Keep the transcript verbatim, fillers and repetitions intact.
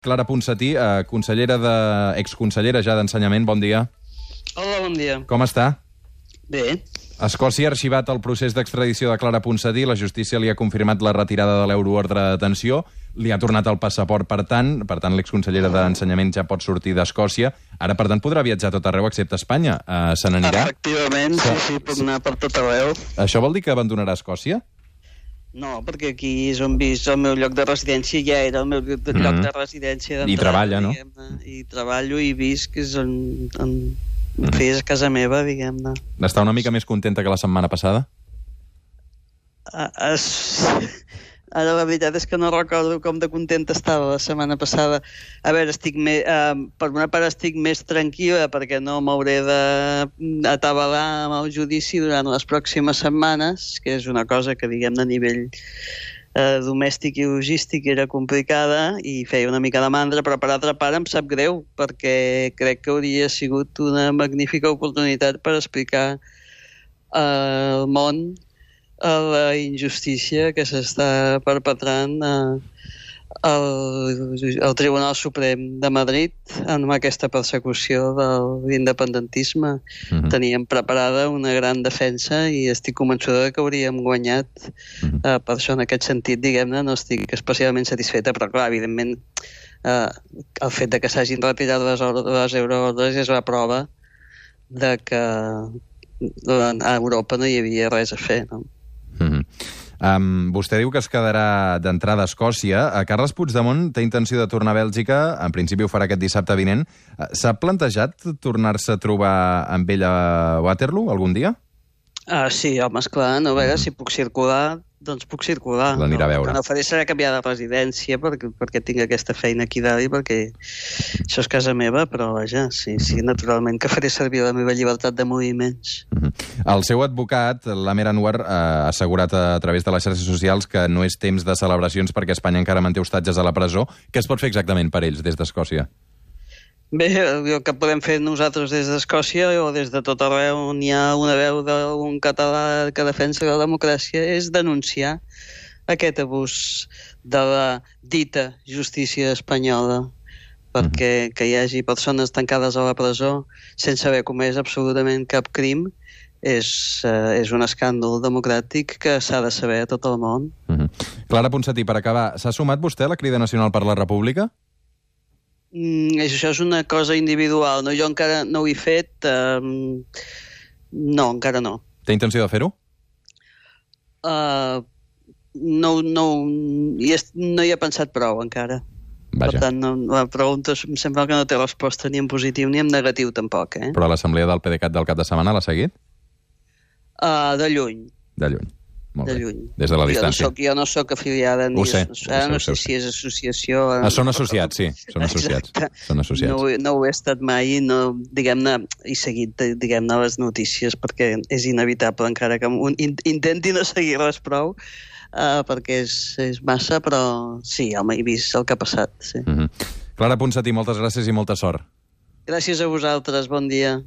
Clara Ponsatí, eh, consellera de... exconsellera ja d'Ensenyament, bon dia. Hola, bon dia. Com està? Bé. Escòcia ha arxivat el procés d'extradició de Clara Ponsatí, la justícia li ha confirmat la retirada de l'euroordre de detenció, li ha tornat el passaport, per tant, per tant l'exconsellera d'Ensenyament ja pot sortir d'Escòcia. Ara, per tant, podrà viatjar a tot arreu excepte a Espanya. Uh, se n'anirà? Efectivament, sí, sí, puc anar per tot arreu. Això vol dir que abandonarà Escòcia? No, perquè aquí és on visc el meu lloc de residència, ja era el meu lloc de, lloc de residència. I treballa, no? I treballo i visc, és on, on mm. fes a casa meva, diguem-ne. Està una mica més contenta que la setmana passada? Uh, es... Ara la veritat és que no recordo com de contenta estava la setmana passada. A veure, estic me... uh, per una part estic més tranquil·la perquè no m'hauré d'atabalar amb el judici durant les pròximes setmanes, que és una cosa que, diguem-ne, a nivell uh, domèstic i logístic era complicada i feia una mica de mandra, però per altra part em sap greu perquè crec que hauria sigut una magnífica oportunitat per explicar uh, al món a la injustícia que s'està perpetrant eh, al, al Tribunal Suprem de Madrid amb aquesta persecució de l'independentisme. Mm-hmm. Teníem preparada una gran defensa i estic convençuda que hauríem guanyat. Mm-hmm. eh, per això, en aquest sentit, diguem-ne, no estic especialment satisfeta, però clar, evidentment, eh, el fet de que s'hagin retirat les, les euroordres és la prova de que a Europa no hi havia res a fer, no? Mm-hmm. um, vostè diu que es quedarà d'entrada a Escòcia. Uh, Carles Puigdemont té intenció de tornar a Bèlgica, en principi ho farà aquest dissabte vinent. Uh, S'ha plantejat tornar-se a trobar amb ell a Waterloo algun dia? Ah, sí, home, esclar, no, a veure, si puc circular, doncs puc circular. L'anirà a veure. El que no faré serà canviar de residència perquè, perquè tinc aquesta feina aquí dalt i perquè això és casa meva, però vaja, sí, sí, naturalment que faré servir la meva llibertat de moviments. Mm-hmm. El seu advocat, l'Amer Anwar, ha assegurat a través de les xarxes socials que no és temps de celebracions perquè Espanya encara manté ostatges a la presó. Què es pot fer exactament per ells des d'Escòcia? Bé, el que podem fer nosaltres des d'Escòcia o des de tot arreu on hi ha una veu d'un català que defensa la democràcia és denunciar aquest abús de la dita justícia espanyola, perquè que hi hagi persones tancades a la presó sense haver comès absolutament cap crim és, uh, és un escàndol democràtic que s'ha de saber a tot el món. Mm-hmm. Clara Ponsatí, per acabar, s'ha sumat vostè a la Crida Nacional per la República? Mm, això és una cosa individual, no? Jo encara no ho he fet. Um, no, encara no. Té intenció de fer-ho? Uh, no, no, hi és, no hi he pensat prou encara. Vaja. Per tant, no, la pregunta em sembla que no té resposta ni en positiu ni en negatiu tampoc. Eh? Però l'assemblea del PDeCAT del cap de setmana l'ha seguit? Uh, de lluny. De lluny. Molt de bé. lluny. Des de la distància. Jo no soc, jo no soc afiliada ni... Ho sé. Ara ho no sé, sé si és associació... Ah, són associats, sí. Són associats. Són associats. No, no ho he estat mai i no, diguem-ne, he seguit, diguem-ne, les notícies perquè és inevitable, encara que un, intenti no seguir res prou, uh, perquè és, és massa, però sí, home, he vist el que ha passat. Sí. Mm-hmm. Clara Ponsatí, moltes gràcies i molta sort. Gràcies a vosaltres, bon dia.